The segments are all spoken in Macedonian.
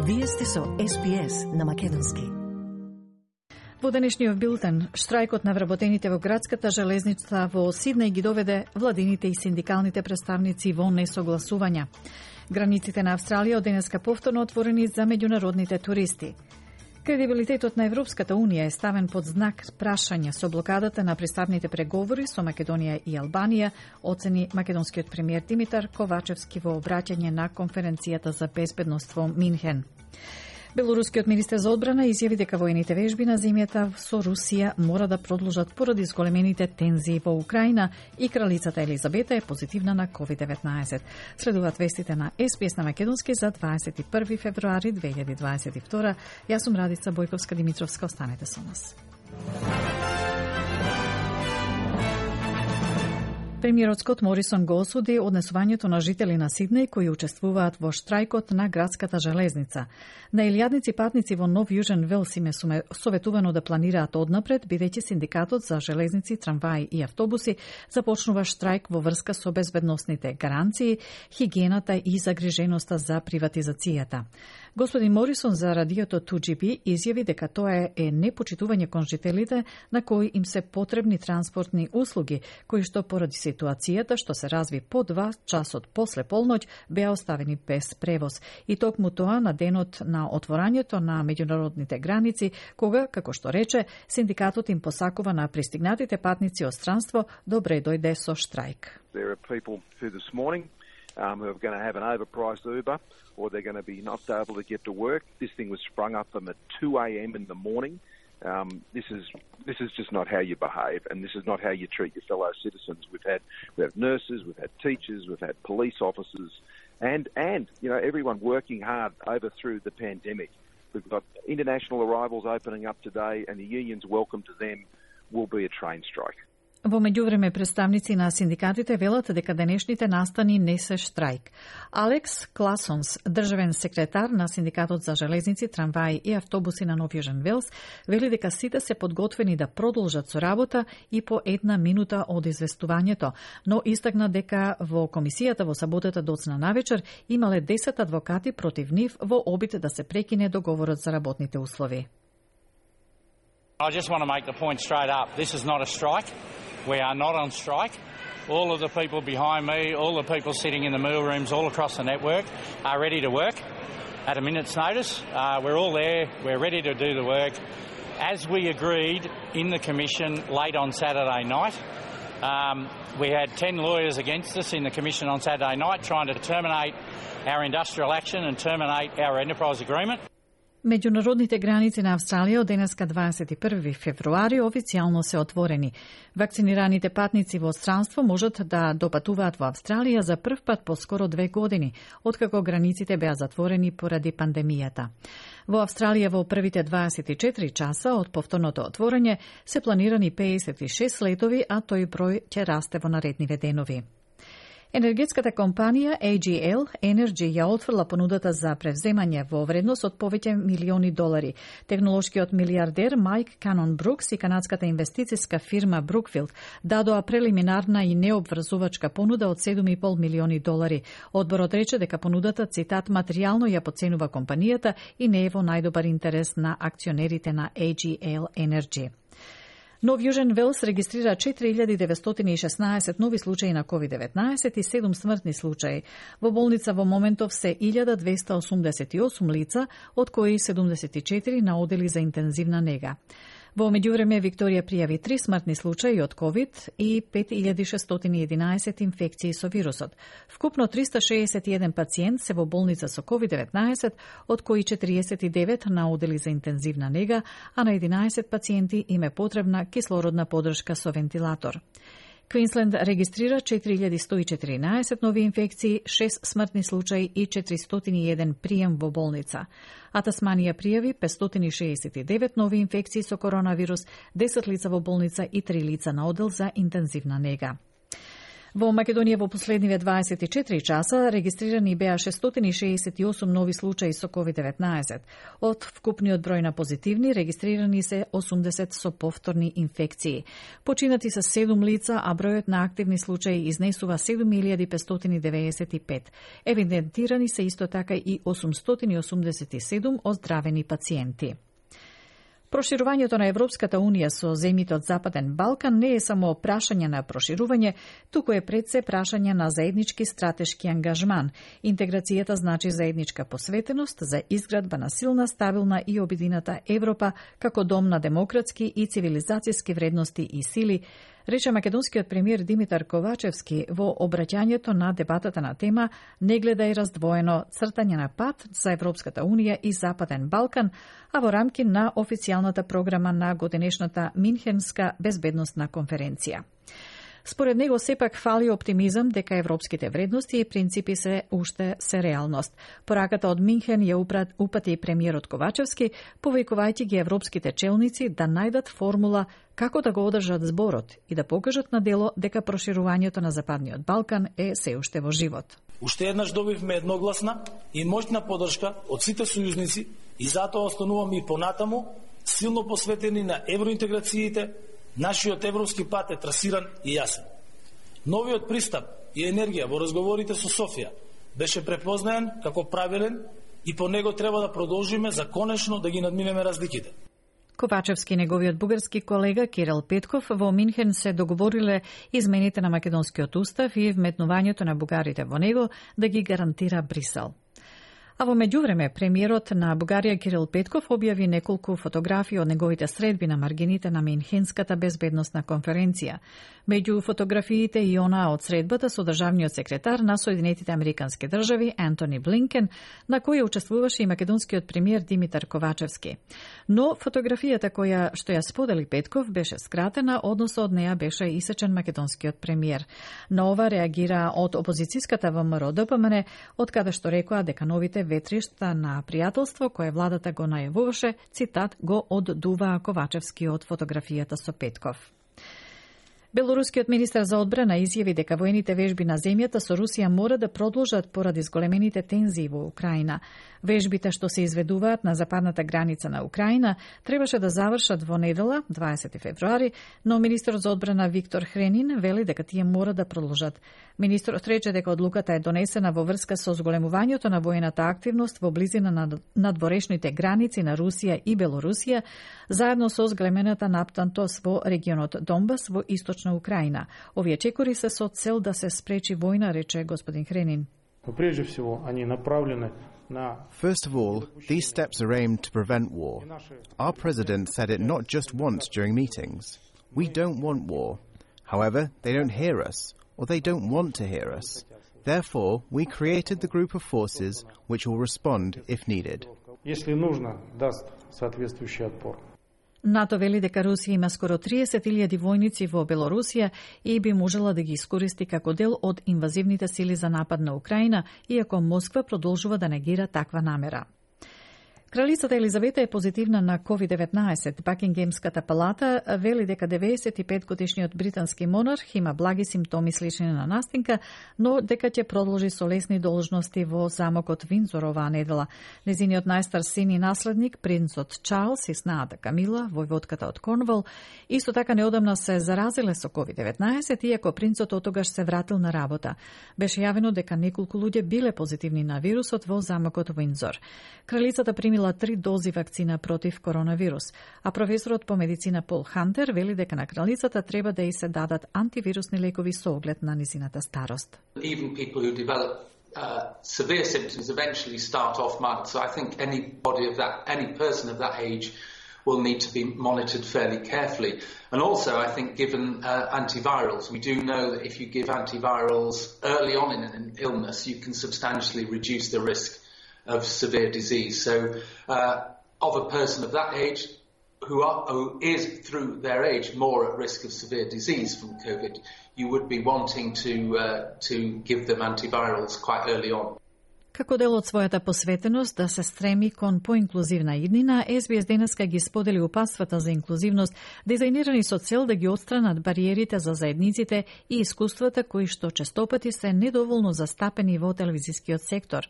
Вие сте со СПС на македонски. Во денешниот билтен, штрајкот на вработените во градската железница во Сиднеј ги доведе владините и синдикалните представници во несогласувања. Границите на Австралија од денеска повторно отворени за меѓународните туристи. Кредибилитетот на Европската Унија е ставен под знак прашање со блокадата на пристапните преговори со Македонија и Албанија, оцени македонскиот премиер Димитар Ковачевски во обраќање на конференцијата за безбедност во Минхен. Белорускиот министер за одбрана изјави дека воените вежби на земјата со Русија мора да продолжат поради зголемените тензии во Украина и кралицата Елизабета е позитивна на COVID-19. Следуваат вестите на СПС на македонски за 21 февруари 2022. Јас сум Радица Бојковска-Димитровска, останете со нас. Премиерот Скот Морисон го осуди однесувањето на жители на Сиднеј кои учествуваат во штрајкот на градската железница. На илјадници патници во Нов Јужен Велс им е советувано да планираат однапред, бидејќи синдикатот за железници, трамваи и автобуси започнува штрајк во врска со безбедносните гаранции, хигиената и загриженоста за приватизацијата. Господин Морисон за радиото 2GB изјави дека тоа е непочитување кон жителите на кои им се потребни транспортни услуги, кои што поради ситуацијата што се разви по 2 часот после полноќ беа оставени без превоз. И токму тоа на денот на отворањето на меѓународните граници, кога, како што рече, синдикатот им посакува на пристигнатите патници од странство добре дојде со штрајк. There are people who this morning who are going to have an overpriced Uber, or they're going to be not able to get to work. This thing was sprung up them at 2 a.m. in the morning. This is just not how you behave, and this is not how you treat your fellow citizens. We have nurses, we've had teachers, we've had police officers, and everyone working hard over through the pandemic. We've got international arrivals opening up today, and the union's welcome to them will be a train strike. Во меѓувреме представници на синдикатите велат дека денешните настани не се штрајк. Алекс Класонс, државен секретар на синдикатот за железници, трамваи и автобуси на Нов Јужен Велс, вели дека сите се подготвени да продолжат со работа и по 1 минута од известувањето, но истакна дека во комисијата во саботата доцна навечер имале 10 адвокати против нив во обид да се прекине договорот за работните услови. I just want to make the point straight up. This is not a strike. We are not on strike. All of the people behind me, all the people sitting in the meal rooms all across the network are ready to work at a minute's notice. We're all there. We're ready to do the work. As we agreed in the Commission late on Saturday night, we had 10 lawyers against us in the Commission on Saturday night trying to terminate our industrial action and terminate our enterprise agreement. Меѓународните граници на Австралија од денеска 21 февруари официјално се отворени. Вакцинираните патници во странство можат да допатуваат во Австралија за прв пат по скоро 2 години, откако границите беа затворени поради пандемијата. Во Австралија во првите 24 часа од повторното отворање се планирани 56 летови, а тој број ќе расте во наредниве денови. Енергетската компанија AGL Energy ја отфрла понудата за превземање во вредност од повеќе милиони долари. Технолошкиот милиардер Майк Канон Брукс и канадската инвестициска фирма Brookfield дадоа прелиминарна и необврзувачка понуда од 7,5 милиони долари. Одборот рече дека понудата, цитат, материјално ја поценува компанијата и не е во најдобар интерес на акционерите на AGL Energy. Нов Јужен Велс регистрира 4916 нови случаи на COVID-19 и 7 смртни случаи. Во болница во моментов се 1288 лица, од кои 74 на одели за интензивна нега. Во меѓувреме Викторија пријави 3 смртни случаи од COVID и 5611 инфекции со вирусот. Вкупно 361 пациент се во болница со COVID-19, од кои 49 на одели за интензивна нега, а на 11 пациенти им е потребна кислородна подршка со вентилатор. Квинсленд регистрира 4114 нови инфекции, 6 смртни случаи и 401 прием во болница. А Тасманија пријави 569 нови инфекции со коронавирус, 10 лица во болница и 3 лица на одел за интензивна нега. Во Македонија во последниве 24 часа регистрирани беа 668 нови случаи со COVID-19. Од вкупниот број на позитивни регистрирани се 80 со повторни инфекции. Починати се 7 лица, а бројот на активни случаи изнесува 7595. Евидентирани се исто така и 887 оздравени пациенти. Проширувањето на Европската Унија со земјите од Западен Балкан не е само прашање на проширување, туку е пред се прашање на заеднички стратешки ангажман. Интеграцијата значи заедничка посветеност за изградба на силна, стабилна и обедината Европа како дом на демократски и цивилизацијски вредности и сили, рече македонскиот премиер Димитар Ковачевски во обраќањето на дебатата на тема "Не гледај раздвоено: цртање на пат за Европската Унија и Западен Балкан", а во рамки на официјалната програма на годинешната Минхенска безбедносна конференција. Според него сепак фали оптимизам дека европските вредности и принципи се уште се реалност. Пораката од Минхен ја упати премиерот Ковачевски, повикувајќи ги европските челници да најдат формула како да го одржат зборот и да покажат на дело дека проширувањето на Западниот Балкан е се уште во живот. Уште еднаш добивме едногласна и моќна поддршка од сите сојузници и затоа остануваме и понатаму силно посветени на евроинтеграциите. Нашиот европски пат е трасиран и јасен. Новиот пристап и енергија во разговорите со Софија беше препознаен како правилен и по него треба да продолжиме за конечно да ги надминеме разликите. Ковачевски и неговиот бугарски колега Кирил Петков во Минхен се договориле измените на македонскиот устав и вметнувањето на бугарите во него да ги гарантира Брисел. А во меѓувреме, премиерот на Бугарија Кирил Петков објави неколку фотографии од неговите средби на маргините на Минхенската безбедносна конференција. Меѓу фотографиите и онаа од средбата со државниот секретар на Соединетите Американски држави Антони Блинкен, на која учествуваше и македонскиот премиер Димитар Ковачевски. Но фотографијата што ја сподели Петков беше скратена, односно од неја беше исечен македонскиот премиер. На ова реагира од опозицијската ВМРО ДПМН, од каде што рекоа дека новите ветришта на пријателство кое владата го најавуваше, цитат, го оддуваа Ковачевски од фотографијата со Петков. Белорускиот министар за одбрана изјави дека воените вежби на земјата со Русија мора да продолжат поради зголемените тензии во Украина. Вежбите што се изведуваат на западната граница на Украина требаше да завршат во недела, 20 февруари, но министерот за одбрана Виктор Хренин вели дека тие мора да продолжат. Министерот рече дека одлуката е донесена во врска со зголемувањето на воената активност во близина на надворешните граници на Русија и Белорусија, заедно со зголемената наптантост во регионот Донбас во источна Украина. Овие чекори се со цел да се спречи војна, рече господин Хренин. Прежде всего, они направлены на... First of all, these steps are aimed to prevent war. Our president said it not just once during meetings. We don't want war. However, they don't hear us, or they don't want to hear us. Therefore, we created the group of forces which will respond if needed. Если нужно, даст соответствующий отпор. НАТО вели дека Русија има скоро 30.000 војници во Белорусија и би можела да ги искористи како дел од инвазивните сили за напад на Украина, иако Москва продолжува да негира таква намера. Кралицата Елизавета е позитивна на COVID-19. Бакингемската палата вели дека 95-годишниот британски монарх има благи симптоми слични на настинка, но дека ќе продолжи со лесни должности во замокот Виндзор оваа недела. Незиниот најстар син и наследник, принцот Чарлс и снаата Камила, војводката од Корнвол, исто така неодамна се заразиле со COVID-19, иако принцот отогаш се вратил на работа. Беше јавено дека неколку луѓе биле позитивни на вирусот во замокот Виндзор. Кралицата примила 3 дози вакцина против коронавирус, а професорот по медицина Пол Хантер вели дека на кралицата треба да и се дадат антивирусни лекови со оглед на низината старост. Even people who develop severe symptoms eventually start off mild, so I think any person of that age will need to be monitored fairly carefully. And also, I think, given antivirals, we do know that if you give antivirals early on in an illness, you can substantially reduce the risk of severe disease. So, of a person of that age who is through their age more at risk of severe disease from COVID, you would be wanting to give them antivirals quite early on. Како дел од својата посветеност да се стреми кон поинклузивна иднина, СБС денеска ги сподели упатствата за инклузивност, дизајнирани со цел да ги отстранат бариерите за заедниците и искуствата кои што честопати се недоволно застапени во телевизискиот сектор.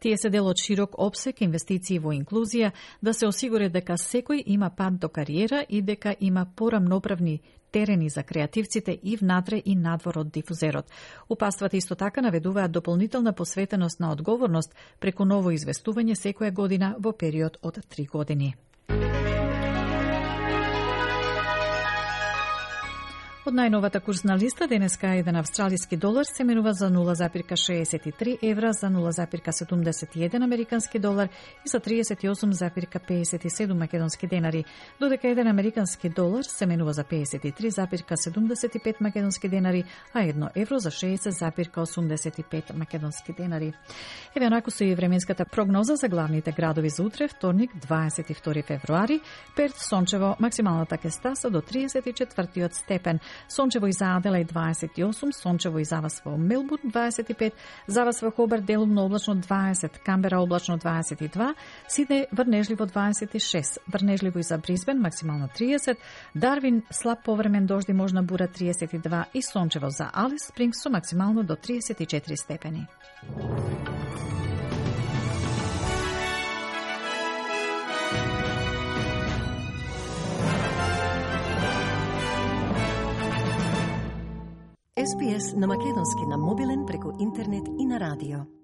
Тие се дел од широк опсек инвестиции во инклузија, да се осигури дека секој има пат до кариера и дека има порамноправни терени за креативците и внатре и надвор од дифузерот. Упатствата исто така наведуваат дополнителна посветеност на одговорност преку ново известување секоја година во период од 3 години. Од најновата курсна листа денеска еден австралиски долар се менува за 0,63 евра, за 0,71 американски долар и за 38,57 македонски денари, додека еден американски долар се менува за 53,75 македонски денари, а 1 евро за 60,85 македонски денари. Еве онако со и временската прогноза за главните градови за утре, вторник, 22 февруари. Перт сончево, максималната ќе стаса до 34 степен. Сончево и за Аделаид 28, сончево и за вас во Мелбурн 25, за вас во Хобарт делумно облачно 20, Камбера облачно 22, Сиднеј врнежливо 26, врнежливо и за Брисбен максимално 30, Дарвин слаб повремен дожди можна бура 32 и сончево за Алис Спрингс со максимално до 34 степени. SPS на македонски на мобилен преку интернет и на радио.